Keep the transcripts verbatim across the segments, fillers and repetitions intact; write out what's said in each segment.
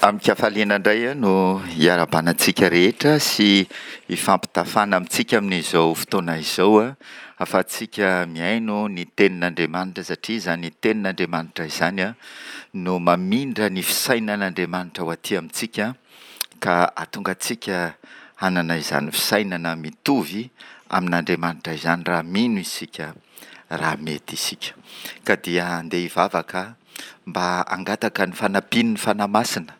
Amin-kafaliana indray no hiarahabana antsika rehetra sy hifampitafana amintsika amin'izao fotoana izao ahafahantsika mihaino ny Tenin'Andriamanitra satria izany Tenin'Andriamanitra izany no mamindra ny fisainan'Andriamanitra ho aty amintsika ka hahatonga antsika hanana izany fisainana mitovy amin'Andriamanitra izany raha mino isika, raha mety isika. Ka dia andeha hivavaka mba hangataka ny fanampian'ny Fanahy Masina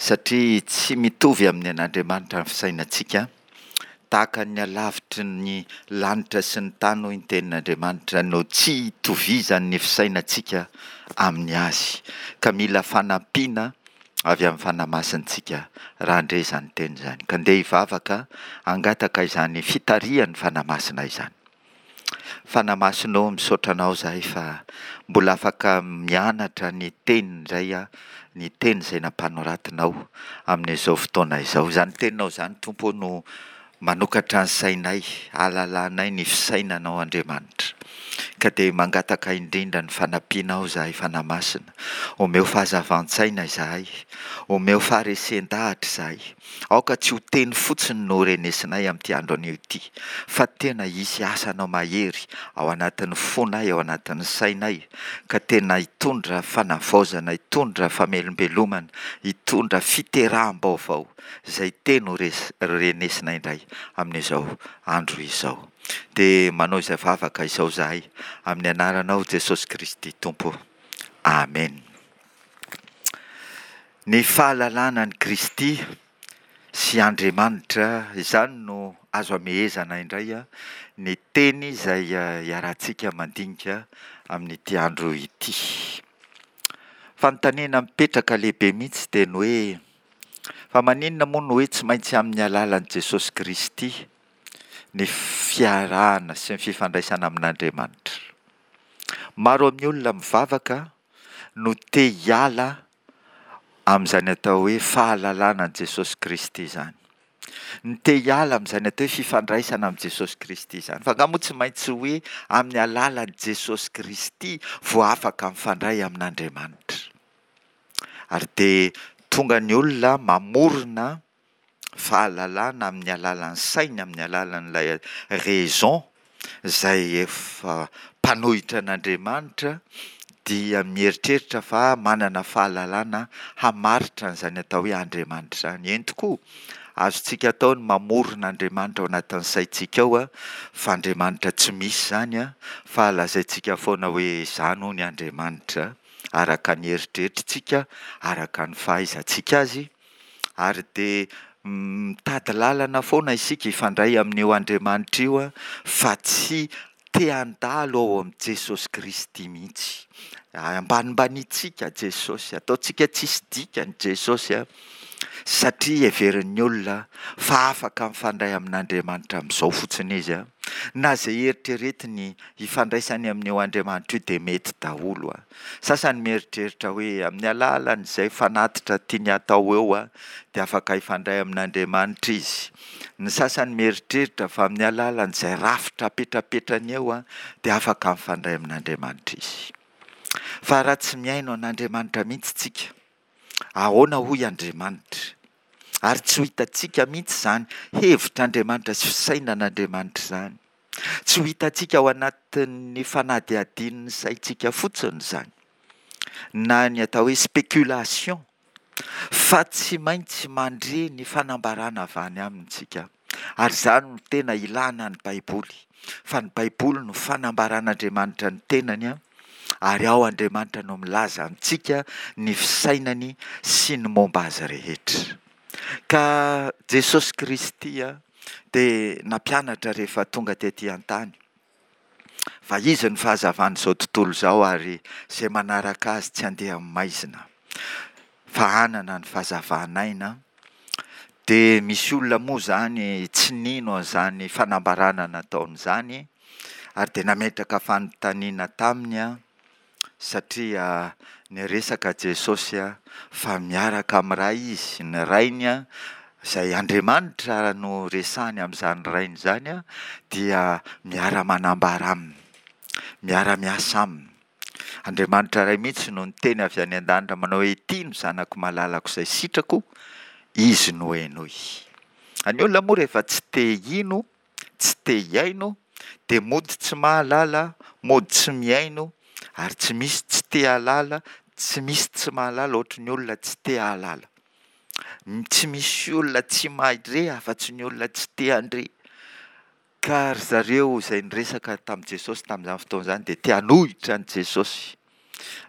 satria tsy mitovy amin'ny an'Andriamanitra ny fisainantsika, tahaka ny halavitry ny lanitra sy ny tany hoy ny tenin'Andriamanitra no tsy itovizan'ny fisainantsika amin'ny azy, ka mila fanampiana avy amin'ny Fanahy Masina isika raha handre izany teny izany. Ka ndeha hivavaka hangataka izany fitarihan'ny Fanahy Masina izany. Fanahy Masina ô, misaotra Anao izahay fa mbola afaka mianatra ny Teny indray aho, ny Teny izay nampanoratinao amin'izao fotoana izao. Izany Teninao izany Tompo ô no manokatra ny sainay, ahalalanay ny fisainanao Andriamanitra. Ka dia mangataka indrindra ny fanampianao izahay Fanahy Masina. Omeo fahazavan-tsaina izahay, omeo faharesen-dahatra izahay. Aoka tsy ho teny fotsiny no renesinay amin'ity andro anio ity, fa tena hisy asanao mahery ao anatin'ny fonay, ao anatin'ny sainay, ka tena hitondra fanavaozana, hitondra famelombelomana, hitondra fiteraham-baovao izay teny ho renesinay indray amin'izao andro izao. Dia manao izay vavaka izao izahay amin'ny anaranao Jesosy Kristy Tompo. Amen. Ny fahalalana an'i Kristy sy Andriamanitra, izany no azo amehezana indray ny teny izay iarahantsika mandinika amin'ity andro ity. Fanontaniana mipetraka lehibe mihitsy dia ny hoe, fa maninona moa no hoe tsy maintsy amin'ny alalan'i Jesosy Kristy ny fiarahana sy ny fifandraisana amin'Andriamanitra? Maro amin'ny olona mivavaka no te hiala amin'izany atao hoe fahalalana an'i Jesosy Kristy izany. Ny te hiala amin'izany atao hoe fifandraisana amin'i Jesosy Kristy izany. Fa angaha moa tsy maintsy hoe amin'ny alalan'i Jesosy Kristy vao afaka mifandray amin'Andriamanitra? Ary dia tonga ny olona mamorona fahalalana amin'ny alalan'ny sainy, amin'ny alalan'ilay raison izay efa mpanohitra an'Andriamanitra dia mieritreritra fa manana fahalalana hamaritra an'izany atao hoe Andriamanitra izany. Eny tokoa, azontsika atao ny mamorona Andriamanitra ao anatin'ny saintsika ao fa Andriamanitra tsy misy izany fa lazaintsika foana hoe izany hono Andriamanitra araka ny eritreritritsika, araka ny fahaizantsika azy, ary dia mitady lalana foana isika hifandray amin'io Andriamanitra io fa tsy te handalo ao amin'i Jesosy Kristy mihitsy. Ambanimbanintsika Jesosy, ataontsika tsisy dikany Jesosy satria heverin'ny olona fa afaka mifandray amin'Andriamanitra amin'izao fotsiny izy. Na izay eritreretiny hifandraisany amin'io Andriamanitra io dia mety daholo. Sasany mieritreritra hoe amin'ny alalan'izay fanatitra tiany hatao eo dia afaka hifandray amin'Andriamanitra izy. Ny sasany mieritreritra fa amin'ny alalan'izay rafitra apetrapetrany eo dia afaka mifandray amin'Andriamanitra izy. Fa raha tsy mihaino an'Andriamanitra mihitsy tsika, ahoana hoy Andriamanitra? Ary tsy ho hitantsika mihitsy izany hevitr'Andriamanitra sy fisainan'Andriamanitra izany. Tsy ho hitantsika ao anatin'ny fanadihadian'ny saintsika fotsiny izany, na ny atao hoe spéculation, fa tsy maintsy mandre ny fanambarana avy any aminy isika. Ary izany no tena ilana ny Baiboly, fa ny Baiboly no fanambaran'Andriamanitra ny tenany, ary ao Andriamanitra no milaza amintsika ny fisainany sy ny momba azy rehetra. Ka Jesosy Kristy dia nampianatra rehefa tonga tety an-tany fa izy ny fahazavan'izao tontolo izao ary izay manaraka azy tsy handeha amin'ny maizina fa hanana ny fahazavan'aina. Dia misy olona moa izany tsy nino an'izany fanambarana nataony izany ary dia nametraka fanontaniana taminy satria niresaka Jesosy fa miaraka amin'ny Ray izy, ny Rainy izay Andriamanitra no resahany amin'izany Rainy izany dia miara-manambara aminy, miara-miasa aminy. Andriamanitra Ray mihitsy no niteny avy any an-danitra manao hoe ity no zanako malalako izay sitrako, izy no henoy. Ny olona moa rehefa tsy te hino, tsy te hihaino dia mody tsy mahalala, mody tsy mihaino ary tsy misy tsy te hahalala, tsy misy tsy mahalala ohatry ny olona tsy te hahalala. Tsy misy olona tsy mahare afa-tsy ny olona tsy te handre. Ka ry zareo izay niresaka tamin'i Jesosy tamin'izany fotoana izany dia te hanohitra an'i Jesosy.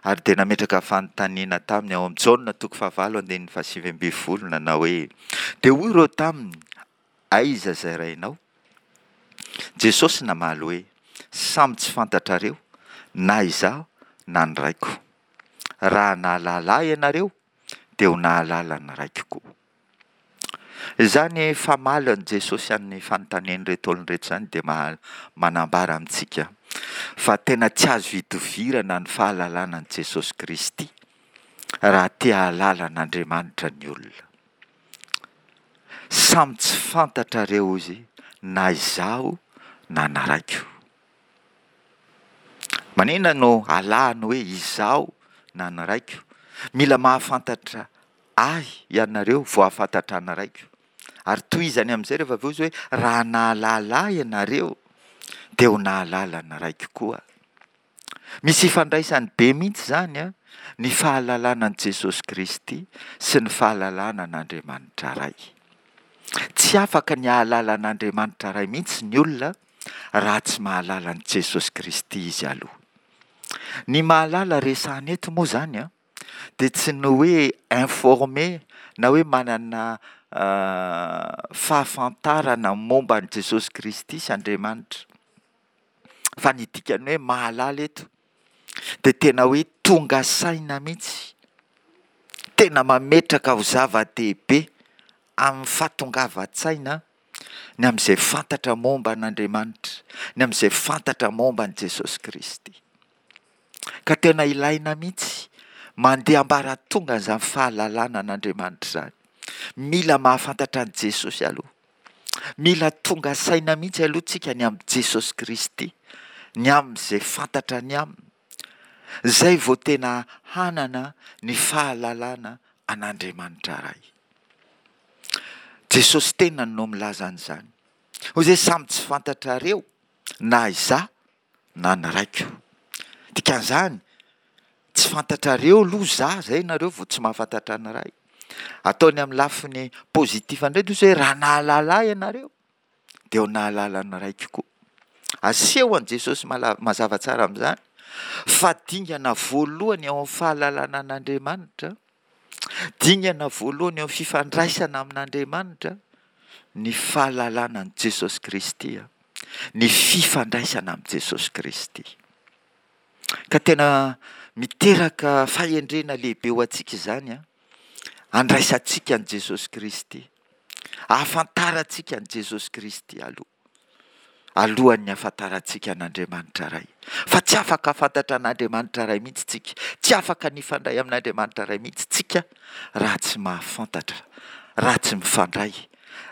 Ary dia nametraka fanontaniana taminy ao amin'ny Jaona toko fahavalo andininy fahasivy ambin'ny folo nanao hoe: Dia hoy ireo taminy, aiza izay rainao? Jesosy namaly hoe: Samy tsy fantatrareo na izaho na ny raiko. Raha nahalala ahy ianareo dia ho nahalala ny raiko koa. Izany famalin'i Jesosy an'ny fanontanian'ireto olona ireto izany dia manambara amintsika fa tena tsy azo idovirana ny fahalalana an'i Jesosy Kristy raha te hahalala an'Andriamanitra ny olona. Samy tsy fantatrareo izy na izaho na ny raiko. Maninona no alahany hoe izaho na ny raiko? Mila mahafantatra ahy ianareo vao hahafantatra ny raiko. Ary tohizany amin'izay rehefa avy eo izy hoe raha nahalala ahy ianareo dia ho nahalala ny raiko koa. Misy ifandraisany be mihitsy izany an, ny fahalalana an'i Jesosy Kristy sy ny fahalalana an'Andriamanitra Ray. Tsy afaka ny hahalala an'Andriamanitra Ray mihitsy ny olona raha tsy mahalala an'i Jesosy Kristy izy aloha. Ny mahalala resahana eto moa izany an, dia tsy ny hoe informé na hoe manana fahafantarana momba an'i Jesosy Kristy sy Andriamanitra. Fa ny dikan'ny hoe mahalala eto dia tena hoe tonga saina mihitsy, tena mametraka ho zava-dehibe amin'ny fahatongavan-tsaina ny amin'izay fantatra momba an'Andriamanitra, ny amin'izay fantatra momba an'i Jesosy Kristy. Ka tena ilaina mihitsy mandeha ambaratonga an'izany fahalalana an'Andriamanitra izany. Mila mahafantatra an'i Jesosy aloha. Mila tonga saina mihitsy aloha tsika ny amin'i Jesosy Kristy, ny amin'izay fantatra ny aminy. Izay vao tena hanana ny fahalalana an'Andriamanitra Ray. Jesosy tenany no milaza an'izany. Hoy izy hoe samy tsy fantatrareo na izaho na ny raiko. Dikan'izany, tsy fantatrareo aloha izaho, izay nareo vao tsy mahafantatra ny Ray. Ataony amin'ny lafiny positif indray dia hoe raha nahalala ahy ianareo dia ho nahalala ny Raiko koa. Aseho an'i Jesosy mazava tsara amin'izany fa dingana voalohany ao amin'ny fahalalana an'Andriamanitra, dingana voalohany eo amin'ny fifandraisana amin'Andriamanitra ny fahalalana an'i Jesosy Kristy, ny fifandraisana amin'i Jesosy Kristy. Ka tena miteraka fahendrena lehibe ho antsika izany an, andraisantsika an'i Jesosy Kristy, ahafantarantsika an'i Jesosy Kristy aloha, alohan'ny hahafantarantsika an'Andriamanitra Ray. Fa tsy afaka hahafantatra an'Andriamanitra Ray mihitsy tsika, tsy afaka ny hifandray amin'Andriamanitra Ray mihitsy tsika raha tsy mahafantatra, raha tsy mifandray,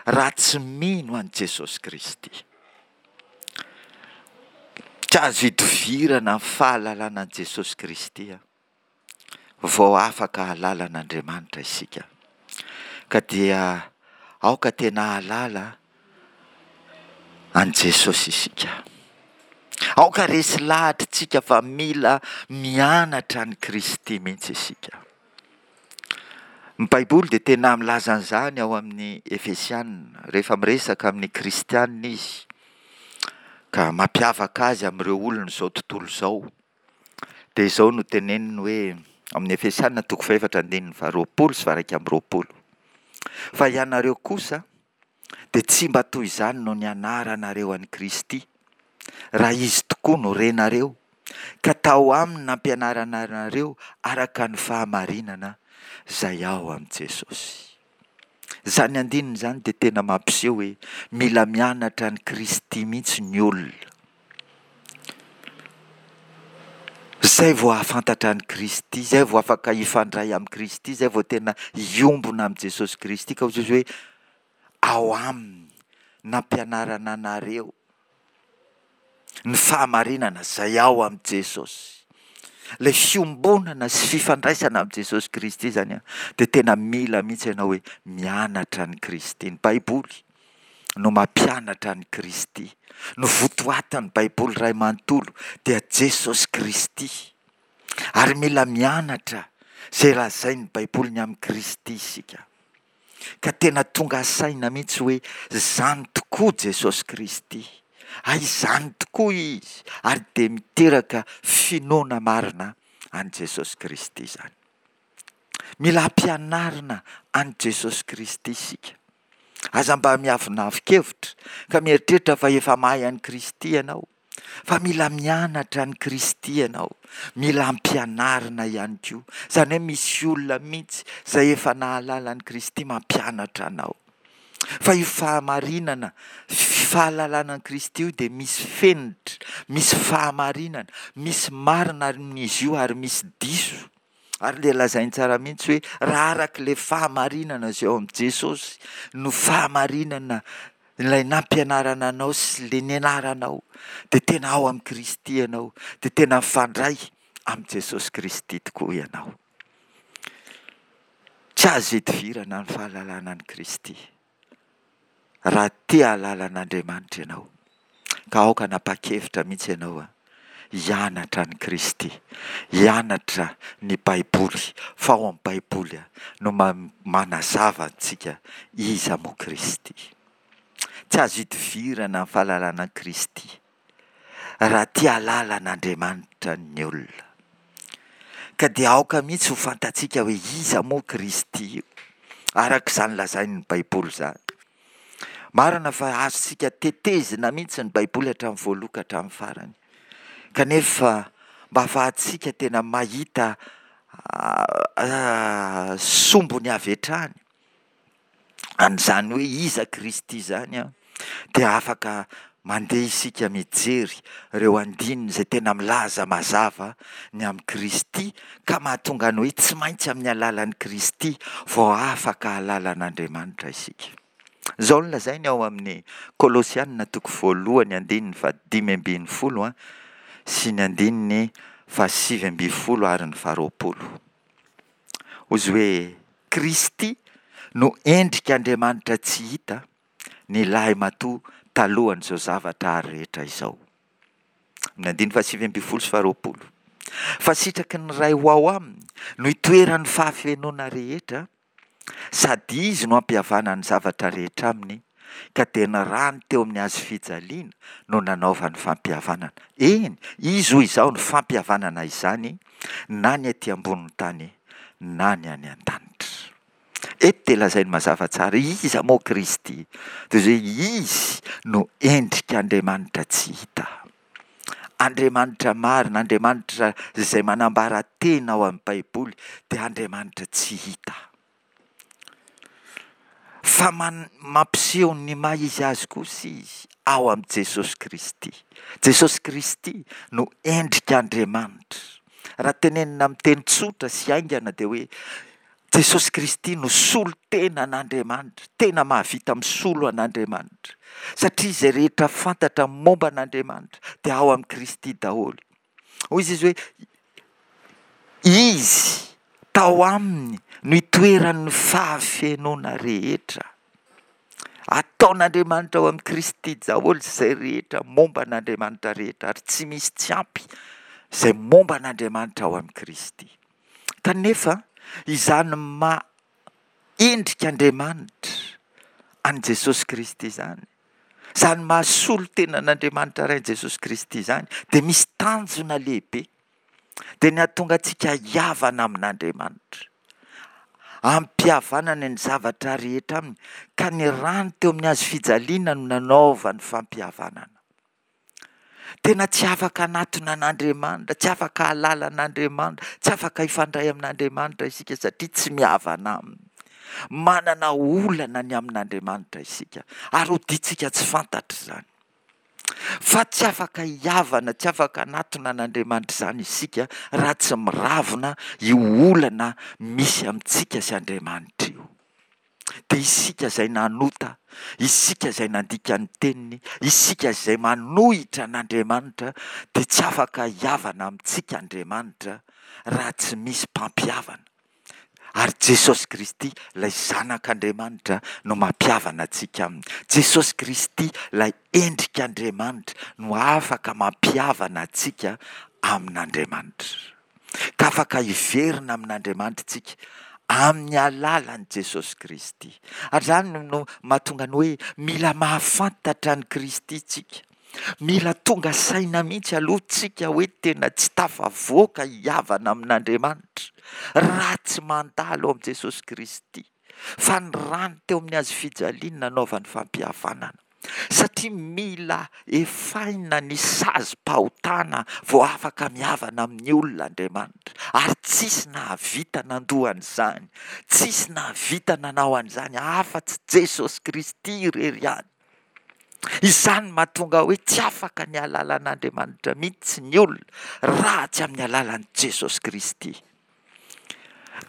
raha tsy mino an'i Jesosy Kristy. Tsy azo idovirana ny fahalalana an'i Jesosy Kristy vao afaka hahalala an'Andriamanitra isika. Ka dia aoka tena hahalala an'i Jesosy isika. Aoka resy lahatra isika fa mila mianatra an'i Kristy mihitsy isika. Ny Baiboly dia tena milaza an'izany ao amin'ny Efesiana, rehefa miresaka amin'ny Kristianina izy, ka mampiavaka azy amin'ireo olon'izao tontolo izao. Dia izao no teneniny hoe, amin'ny Efesiana toko fahefatra andininy faharoapolo sy faha-iraika amby roapolo. Fa ianareo kosa dia tsy mba toy izany no nianaranareo an'i Kristy, raha Izy tokoa no renareo, ka tao aminy nampianarana anareo araka ny fahamarinana izay ao amin'i Jesosy. Izany andininy izany dia tena mampiseho hoe mila mianatra an'i Kristy mihitsy ny olona. Izay vao hahafantatra an'i Kristy, izay vao afaka hifandray amin'i Kristy, izay vao tena hiombona amin'i Jesosy Kristy. Ka hoy Jesosy hoe ao aminy nampianarana anareo ny fahamarinana izay ao amin'i Jesosy. Ilay fiombonana sy fifandraisana amin'i Jesosy Kristy izany an, dia tena mila mihitsy ianao hoe mianatra an'i Kristy. Ny Baiboly no mampianatra an'i Kristy. Ny votoatin'ny Baiboly iray manontolo dia Jesosy Kristy. Ary mila mianatra izay lazain'ny Baiboly ny amin'i Kristy isika. Ka tena tonga saina mihitsy hoe izany tokoa Jesosy Kristy. Hay izany tokoa Izy ary dia miteraka finoana marina an'i Jesosy Kristy izany. Mila ampianarina an'i Jesosy Kristy isika. Aza mba miavonavon-kevitra ka mieritreritra fa efa mahay an'i Kristy ianao. Fa mila mianatra an'i Kristy ianao, mila ampianarina ihany koa. Izany hoe misy olona mihitsy izay efa nahalala an'i Kristy mampianatra anao. Fa io fahamarinana, fahalalana an'i Kristy io dia misy fenitra, misy fahamarinana, misy marina amin'izy io ary misy diso. Ary ilay lazainy tsara mihitsy hoe raha araka ilay fahamarinana izay ao amin'i Jesosy no fahamarinana ilay nampianarana anao sy ilay nianaranao dia tena ao amin'i Kristy ianao, dia tena mifandray amin'i Jesosy Kristy tokoa ianao. Tsy azo idivirana ny fahalalana an'i Kristy. Raha te hahalala an'Andriamanitra ianao, ka aoka hanapa-kevitra mihitsy ianao hianatra an'i Kristy, hianatra ny Baiboly, fa ao amin'ny Baiboly no manazava antsika iza moa Kristy. Tsy azo idivirana ny fahalalana an'i Kristy raha tia hahalala an'Andriamanitra ny olona. Ka dia aoka mihitsy ho fantatsika hoe iza moa Kristy io, araka izany lazain'ny Baiboly izany. Marina fa azontsika tetezina mihitsy ny Baiboly hatramin'ny voaloha ka hatramin'ny farany. Kanefa mba ahafahantsika tena mahita sombiny avy hatrany an'izany hoe iza Kristy izany an, dia afaka mandeha isika mijery ireo andininy izay tena milaza mazava ny amin'i Kristy ka mahatonga ny hoe tsy maintsy amin'ny alalan'i Kristy vao afaka hahalala an'Andriamanitra isika. Izao no lazainy ao amin'ny Kolosiana toko voalohany andininy fahadimy ambin'ny folo sy ny andininy fahasivy ambin'ny folo ary ny faharoapolo. Hoy izy hoe Kristy no endrik'Andriamanitra tsy hita, ny lahimatoa talohan'izao zavatra ary rehetra izao. Amin'ny andininy fahasivy ambin'ny folo sy faharoapolo. Fa sitraky ny Ray ho ao aminy no itoeran'ny fahafenoana rehetra, sady Izy no hampihavana ny zavatra rehetra aminy, ka dia ny rany teo amin'ny hazo fijaliana no nanaovany fampihavanana. Eny, Izy hoy izao no fampihavanana izany, na ny aty ambonin'ny tany na ny any an-danitra. Eto dia lazainy mazava tsara, iza moa Kristy? Dia izay hoe Izy no endrik'Andriamanitra tsy hita. Andriamanitra marina, Andriamanitra izay manambara tena ao amin'ny Baiboly dia Andriamanitra tsy hita. Fa man- mampiseho ny maha izy azy kosa izy ao amin'i Jesosy Kristy. Jesosy Kristy no endrik'Andriamanitra. Raha tenenina amin'ny teny tsotra sy haingana dia hoe Jesosy Kristy no solontenan'Andriamanitra, tena mahavita misolo an'Andriamanitra. Satria izay rehetra fantatra momba an'Andriamanitra dia ao amin'i Kristy daholo. Hoy izy hoe Izy, tao aminy no itoeran'ny fahafenoana rehetra. Ataon'Andriamanitra ao amin'i Kristy daholo izay rehetra momba an'Andriamanitra rehetra ary tsy misy tsy ampy izay momba an'Andriamanitra ao amin'i Kristy. Kanefa izany maha endrik'Andriamanitra an'i Jesosy Kristy izany, izany maha solontenan'Andriamanitra Ray an'i Jesosy Kristy izany dia misy tanjona lehibe, dia ny hahatonga antsika hihavana amin'Andriamanitra, ampihavanana ny zavatra rehetra aminy, ka ny rany teo amin'ny hazo fijaliana no nanaovany fampihavanana. Tena tsy afaka hanatona an'Andriamanitra, tsy afaka hahalala an'Andriamanitra, tsy afaka hifandray amin'Andriamanitra isika satria tsy mihavana aminy. Manana olana ny amin'Andriamanitra isika ary hodiantsika tsy fantatra izany. Fa tsy afaka hihavana, tsy afaka hanatona an'Andriamanitra izany isika raha tsy miravona io olana misy amintsika sy Andriamanitra io. Dia isika izay nanota, isika izay nandika ny teniny, isika izay manohitra an'Andriamanitra, dia tsy afaka hihavana amintsika Andriamanitra raha tsy misy mpampihavana. Ary Jesosy Kristy, ilay Zanak'Andriamanitra, no mampihavana antsika aminy. Jesosy Kristy, ilay endrik'Andriamanitra, no afaka mampihavana antsika amin'Andriamanitra. Ka afaka hiverina amin'Andriamanitra isika amin'ny alalan'i Jesosy Kristy. Ary izany no mahatonga ny hoe mila mahafantatra an'i Kristy isika. Mila tonga saina mihitsy aloha tsika hoe tena tsy tafavoaka hihavana amin'Andriamanitra raha tsy mandalo amin'i Jesosy Kristy, fa ny rany teo amin'ny hazo fijaliana nanaovany fampihavanana. Satria mila efaina ny sazim-pahotana vao afaka mihavana amin'ny olona Andriamanitra, ary tsisy nahavita nandoa an'izany, tsisy nahavita nanao an'izany afa-tsy Jesosy Kristy irery ihany. Izany no mahatonga hoe tsy afaka ny hahalala an'Andriamanitra mihitsy ny olona raha tsy amin'ny alalan'i Jesosy Kristy.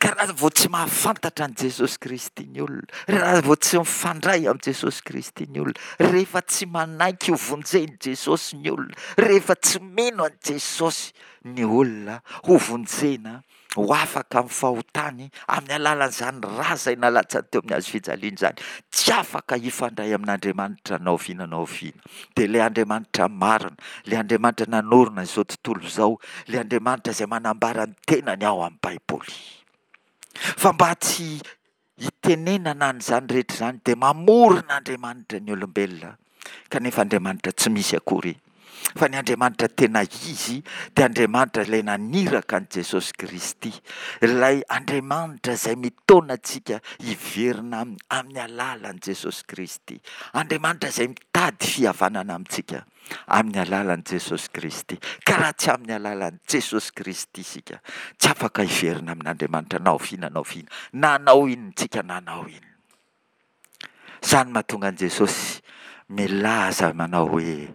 Ka raha vao tsy mahafantatra an'i Jesosy Kristy ny olona, raha vao tsy mifandray amin'i Jesosy Kristy ny olona, rehefa tsy manaiky ho vonjen'i Jesosy ny olona, rehefa tsy mino an'i Jesosy ny olona ho vonjena, ho afaka amin'ny fahotany amin'ny alalan'izany ra izay nalatsany teo amin'ny hazo fijaliana izany, tsy afaka hifandray amin'Andriamanitra na oviana na oviana. Dia ilay Andriamanitra marina, ilay Andriamanitra nanorina izao tontolo izao, ilay Andriamanitra izay manambara ny tenany ao amin'ny Baiboly. Fa mba tsy hitenenana an'izany rehetra izany dia mamorona Andriamanitra ny olombelona, kanefa Andriamanitra tsy misy akory, fa ny Andriamanitra tena izy dia Andriamanitra ilay naniraka an'i Jesosy Kristy, ilay Andriamanitra izay mitaona antsika hiverina aminy amin'ny alalan'i Jesosy Kristy, Andriamanitra izay mitady fihavanana amintsika amin'ny alalan'i Jesosy Kristy. Ka raha tsy amin'ny alalan'i Jesosy Kristy isika, tsy afaka hiverina amin'Andriamanitra na oviana na oviana, na hanao inona isika na hanao inona. Izany mahatonga an'i Jesosy milaza manao hoe,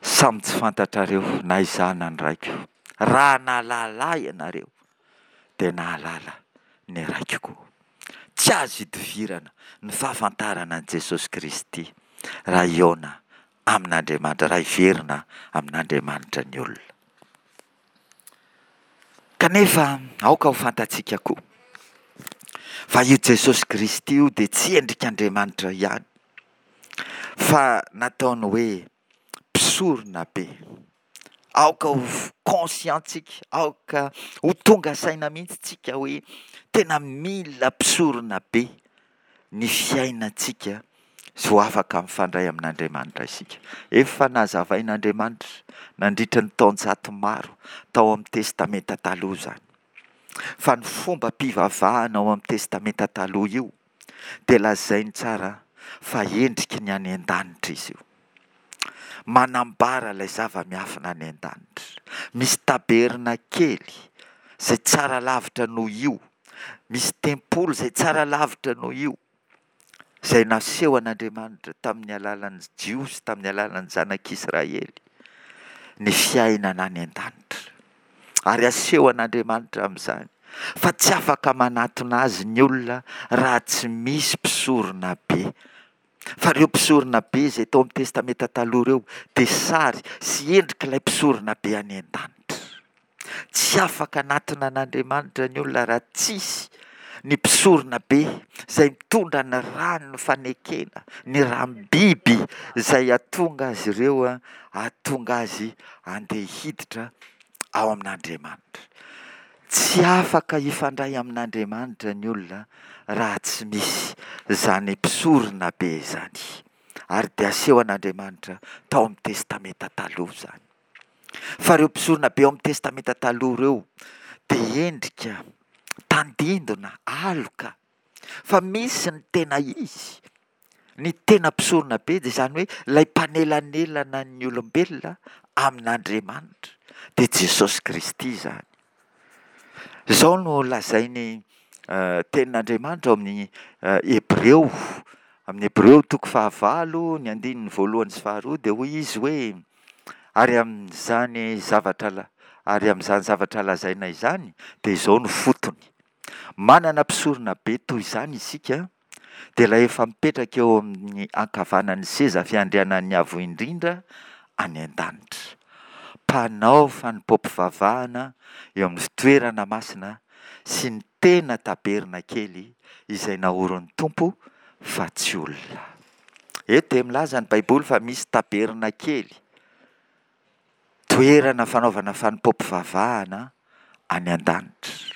Samy tsy fantatrareo na izaho na ny Raiko. Raha nahalala ahy ianareo, dia nahalala ny Raiko koa. Tsy azo idivirana ny fahafantarana an'i Jesosy Kristy raha hihaona amin'Andriamanitra, raha hiverina amin'Andriamanitra ny olona. Kanefa aoka ho fantatsika koa fa io Jesosy Kristy io dia tsy endrik'Andriamanitra ihany fa nataony hoe mpisorona be. Aoka ho conscient-tsika, aoka ho tonga saina mihitsy tsika hoe tena mila mpisorona be ny fiainantsika sy ho afaka mifandray amin'Andriamanitra isika. Efa nazavain'Andriamanitra nandritra ny taonjato maro tao amin'ny Testamenta Taloha izany. Fa ny fombam-pivavahana ao amin'ny Testamenta Taloha io dia lazainy tsara fa endriky ny any an-danitra izy io. Manambara ilay zava-miafina any an-danitra. Misy tabernakely izay tsara lavitra noho io. Misy tempoly izay tsara lavitra noho io. Izay naseho an'Andriamanitra tamin'ny alalan'ny Jiosy, tamin'ny alalan'ny zanak'Israely, ny fiainana any an-danitra. Ary aseho an'Andriamanitra amin'izany fa tsy afaka manatona azy ny olona raha tsy misy mpisorona be. Fa ireo mpisorona be izay tao amin'ny Testamenta Taloha ireo dia sary sy endrik'ilay mpisorona be any an-danitra. Tsy afaka hanatona an'Andriamanitra ny olona raha tsisy ny mpisorona be izay mitondra ny ran'ny fanekena, ny ram-biby izay hahatonga azy ireo, hahatonga azy handeha hiditra ao amin'Andriamanitra. Tsy afaka hifandray amin'Andriamanitra ny olona raha tsy misy izany mpisorona be izany. Ary dia asehon'Andriamanitra tao amin'ny Testamenta Taloha izany. Fa ireo mpisorona be ao amin'ny Testamenta Taloha ireo dia endrika, tandindona, aloka. Fa misy ny tena izy, ny tena mpisorona be dia izany hoe ilay mpanelanelana ny olombelona amin'Andriamanitra, dia Jesosy Kristy izany. Izao no lazain'ny tenin'Andriamanitra ao amin'ny Hebreo, amin'ny Hebreo toko fahavalo, ny andininy voalohany sy faharoa dia hoy izy hoe, ary amin'izany zavatra ary amin'izany zavatra lazaina izany dia izao no fotony. Manana mpisorona be toy izany isika, dia ilay efa mipetraka eo amin'ny ankavanan'ny seza fiandrianan'ny Avo Indrindra any an-danitra. Mpanao fanompoam-pivavahana eo amin'ny fitoerana masina sy ny tena tabernakely izay naorin'ny Tompo fa tsy olona. Eto dia milaza ny Baiboly fa misy tabernakely, toerana fanaovana fanompoam-pivavahana any an-danitra.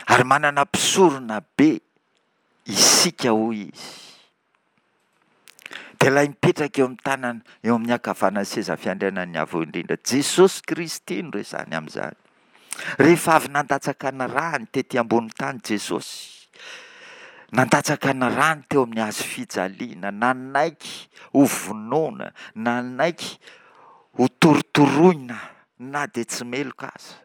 Ary manana mpisorona be isika hoy izy. Dia ilay mipetraka eo amin'ny tanana, eo amin'ny ankavanan'ny seza fiandrianan'ny Avo Indrindra. Jesosy Kristy no resahany amin'izany. Rehefa avy nandatsaka ny rany tety ambony tany Jesosy, nandatsaka ny rany teo amin'ny hazo fijaliana, nanaiky ho vonoina, nanaiky ho torotoroina na dia tsy meloka aza,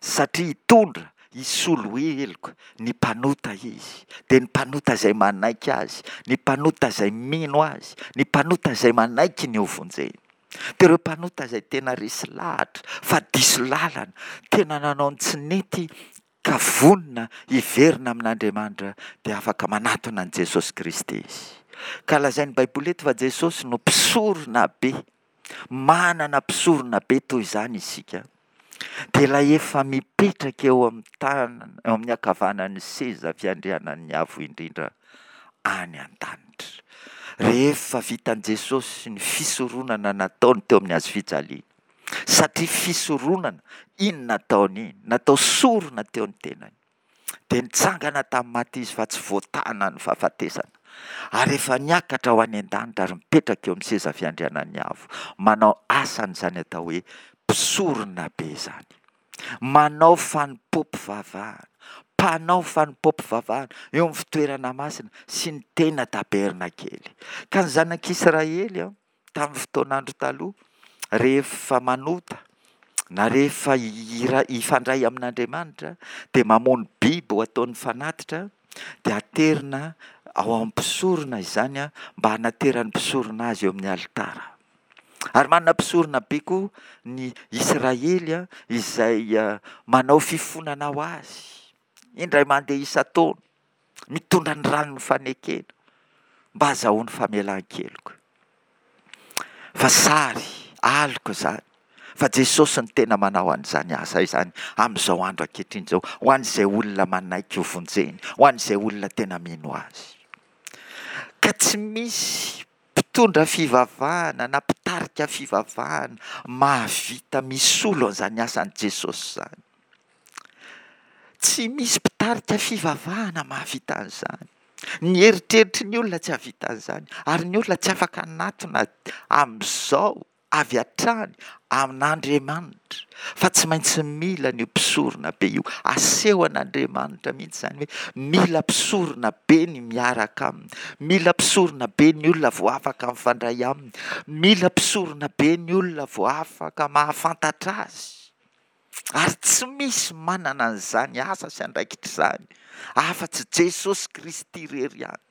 satria hitondra hisolo heloka ny mpanota izy, dia ny mpanota izay manaiky azy, ny mpanota izay mino azy, ny mpanota izay manaiky ny hovonjeny. Dia ireo mpanota izay tena resy lahatra fa diso lalana, tena nanao ny tsy nety ka vonona hiverina amin'Andriamanitra dia afaka manatona an'i Jesosy Kristy izy. Ka lazain'ny Baiboly eto fa Jesosy no mpisorona be. Manana mpisorona be toy izany isika. Dia ilay efa mipetraka eo amin'ny tanana, eo amin'ny ankavanan'ny seza fiandrianan'ny Avo Indrindra any an-danitra. Rehefa vitan'i Jesosy ny fisoronana nataony teo amin'ny hazo fijaliana, satria fisoronana iny nataony iny, natao sorona teo ny tenany, dia nitsangana tamin'ny maty izy fa tsy voatana ny fahafatesana, ary efa niakatra ho any an-danitra ary mipetraka eo amin'ny seza fiandrianan'ny Avo, manao asan'izany atao hoe mpisorona be izany. Manao fanompoam-pivavahana, mpanao fanompoam-pivavahana eo amin'ny fitoerana masina sy ny tena tabernakely. Ka ny zanak'Israely tamin'ny fotoan'andro taloha, rehefa manota na rehefa hifandray amin'Andriamanitra dia mamono biby ho ataony fanatitra, dia aterina ao amin'ny mpisorona izany mba hanateran'ny mpisorona azy eo amin'ny alitara. Ary manana mpisorona be koa ny Israely izay manao fifonana ho azy, indray mandeha isan-taona, mitondra ny ranon'ny fanekena mba hahazahoany famelan-keloka. Fa sary, aloka izany, fa Jesosy no tena manao an'izany asa izany amin'izao andro ankehitriny izao, ho an'izay olona manaiky ho vonjeny, ho an'izay olona tena mino azy. Ka tsy misy mpitondra fivavahana na mpitarika fivavahana mahavita misolo an'izany asan'i Jesosy izany. Tsy misy mpitarika fivavahana mahavita an'izany. Ny eritreritry ny olona tsy hahavita an'izany, ary ny olona tsy afaka hanatona amin'izao avy hatrany amin'Andriamanitra, fa tsy maintsy mila an'io mpisorona be io. Asehon'Andriamanitra mihitsy izany hoe mila mpisorona be ny miaraka aminy, mila mpisorona be ny olona vao afaka mifandray aminy, mila mpisorona be ny olona vao afaka mahafantatra azy. Ary tsy misy manana an'izany asa sy andraikitra izany afa-tsy Jesosy Kristy irery ihany.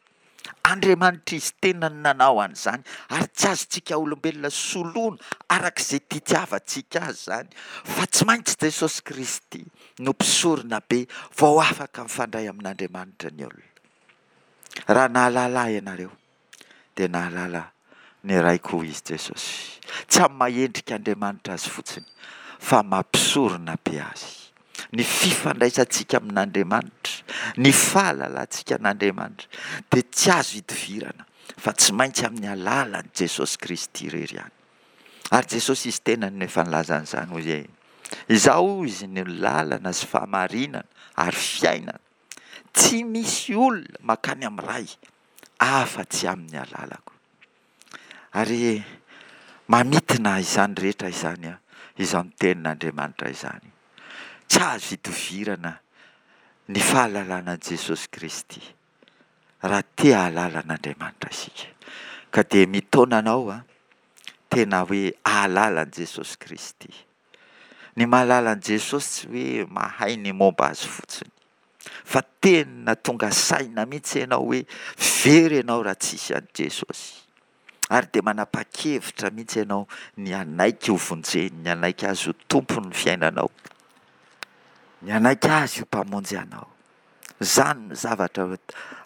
Andriamanitra Izy tenany nanao an'izany ary tsy azontsika olombelona soloina araka izay titiavantsika azy izany fa tsy maintsy Jesosy Kristy no mpisorona be vao afaka mifandray amin'Andriamanitra ny olona. Raha nahalala ahy ianareo dia nahalala ny Raiko hoy izy Jesosy. Tsy amin'ny maha endrik'Andriamanitra azy fotsiny fa maha mpisorona be azy. Ny fifandraisantsika amin'Andriamanitra, ny fahalalantsika an'Andriamanitra dia tsy azo idivirana fa tsy maintsy amin'ny alalan'i Jesosy Kristy irery ihany. Ary Jesosy izy tenany no efa nilaza an'izany hoy hoe, Izaho hoy izy no lalana sy fahamarinana ary fiainana. Tsy misy olona mankany amin'ny Ray afa-tsy amin'ny alalako. Ary mamintina izany rehetra izany izany tenin'Andriamanitra izany. Tsy azo idovirana ny fahalalana an'i Jesosy Kristy raha te hahalala an'Andriamanitra isika. Ka dia mitaona anao aho tena hoe hahalala an'i Jesosy Kristy. Ny mahalala an'i Jesosy tsy hoe mahay ny momba azy fotsiny, fa tena tonga saina mihitsy ianao hoe very ianao raha tsisy an'i Jesosy. Ary dia manapa-kevitra mihitsy ianao ny hanaiky ho vonjeny, ny hanaiky azy ho tompon'ny fiainanao. Ny hanaiky Azy ho Mpamonjy anao. Izany no zavatra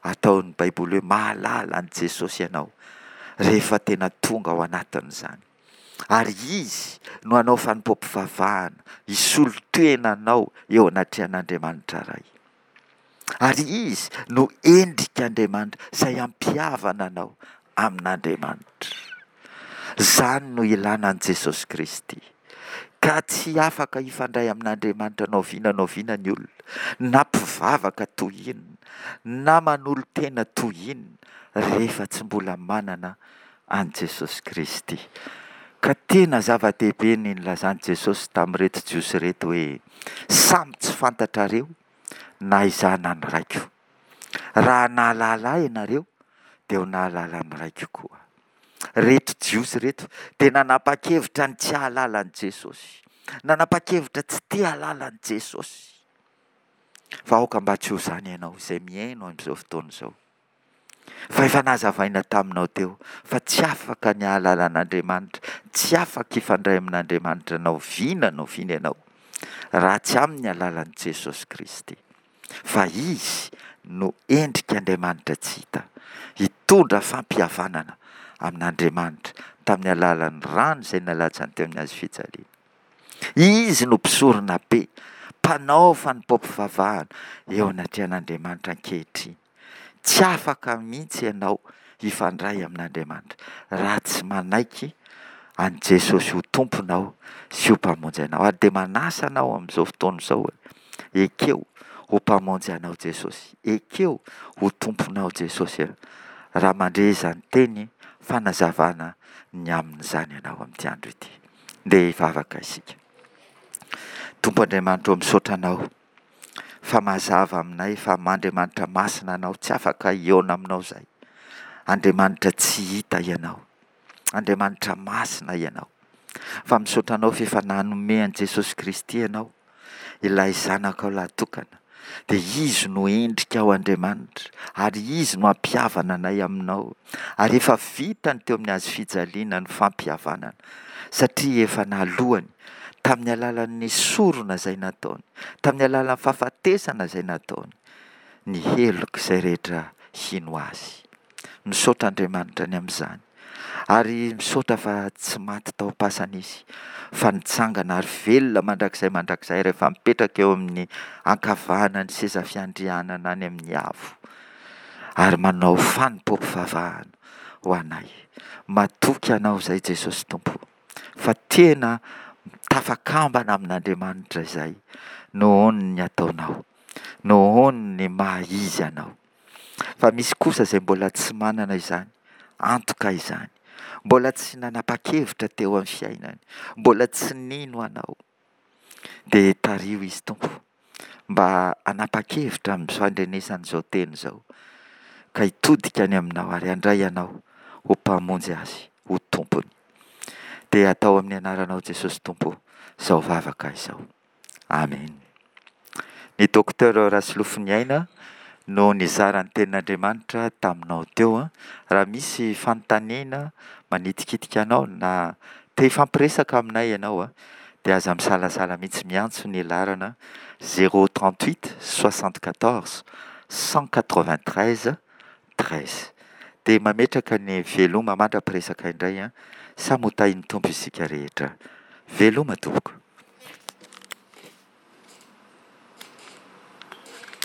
ataon'ny Baiboly hoe mahalala an'i Jesosy ianao rehefa tena tonga ao anatin'izany. Ary Izy no hanao fanompoam-pivavahana hisolo tena anao eo anatrehan'Andriamanitra Ray. Ary Izy no endrik'Andriamanitra izay hampihavana anao amin'Andriamanitra. Izany no ilana an'i Jesosy Kristy. Ka tsy afaka hifandray amin'Andriamanitra na oviana na oviana ny olona, na mpivavaka toy inona, na manolo-tena toy inona, rehefa tsy mbola manana an'i Jesosy Kristy. Ka tena zava-dehibe ny nilazan'i Jesosy tamin'ireto Jiosy ireto hoe, Samy tsy fantatrareo na izaho na ny Raiko. Raha nahalala ahy ianareo, dia ho nahalala ny Raiko koa. Ireto Jiosy ireto dia nanapa-kevitra ny tsy hahalala an'i Jesosy. Nanapa-kevitra tsy te hahalala an'i Jesosy. Fa aoka mba tsy ho izany ianao izay mihaino amin'izao fotoana izao. Fa efa nazavaina taminao teo fa tsy afaka ny hahalala an'Andriamanitra, tsy afaka hifandray amin'Andriamanitra na oviana na oviana ianao raha tsy amin'ny alalan'i Jesosy Kristy. Fa Izy no endrik'Andriamanitra tsy hita, hitondra fampihavanana amin'Andriamanitra tamin'ny alalan'ny rany izay nalatsany teo amin'ny hazo fijaliana. Izy no mpisorona be, mpanao fanompoam-pivavahana eo anatrehan'Andriamanitra ankehitriny. Tsy afaka mihitsy ianao hifandray amin'Andriamanitra raha tsy manaiky an'i Jesosy ho Tomponao sy ho Mpamonjy anao. Ary dia manasa anao amin'izao fotoana izao, ekeo ho Mpamonjy anao Jesosy, ekeo ho Tomponao Jesosy raha mandre izany teny fanazavana ny amin'izany ianao amin'ity andro ity. Ndeha hivavaka isika. Tompo Andriamanitra ô, misaotra Anao fa mazava aminay fa Andriamanitra masina Anao, tsy afaka hihaona aminao izahay. Andriamanitra tsy hita Ianao. Andriamanitra masina Ianao. Fa misaotra Anao fa efa nanome an'i Jesosy Kristy Ianao, ilay Zanakao lahatokana. Dia Izy no endrika ao Andriamanitra, ary Izy no hampihavana anay aminao. Ary efa vitany teo amin'ny hazo fijaliana ny fampihavanana, satria efa nalohany tamin'ny alalan'ny sorona izay nataony, tamin'ny alalan'ny fahafatesana izay nataony, ny heloka izay rehetra hino Azy. Misaotra Andriamanitra ny amin'izany. Ary misaotra fa tsy maty tao am-pasana Izy, fa nitsangana ary velona mandrakizay mandrakizay rehefa mipetraka eo amin'ny ankavanan'ny seza fiandrianana any amin'ny avo, ary manao fanompoam-pivavahana ho anay. Matoky Anao izay Jesosy Tompo, fa tena tafakambana amin'Andriamanitra izay nohon'ny ataonao, nohon'ny maha-izy Anao. Fa misy kosa izay mbola tsy manana izany antoka izany, mbola tsy nanapa-kevitra teo amin'ny fiainany, mbola tsy nino Anao. Dia tariho izy Tompo mba hanapa-kevitra amin'ny fandrenesana izao teny izao, ka hitodika any aminao ary handray Anao ho Mpamonjy azy, ho Tompony. Dia atao amin'ny anaranao Jesosy Tompo izao vavaka izao. Amen. Ny Docteur Rasolofoniaina no nizara ny tenin'Andriamanitra taminao teo. Raha misy fanontaniana manitikitika anao na te hifampiresaka aminay ianao dia aza misalasala mihitsy miantso ny laharana zéro trente huit soixante quatorze cent quatre vingt treize treize. Dia mametraka ny veloma mandra-piresaka indray. Samy ho tahin'ny Tompo isika rehetra. Veloma tompoko.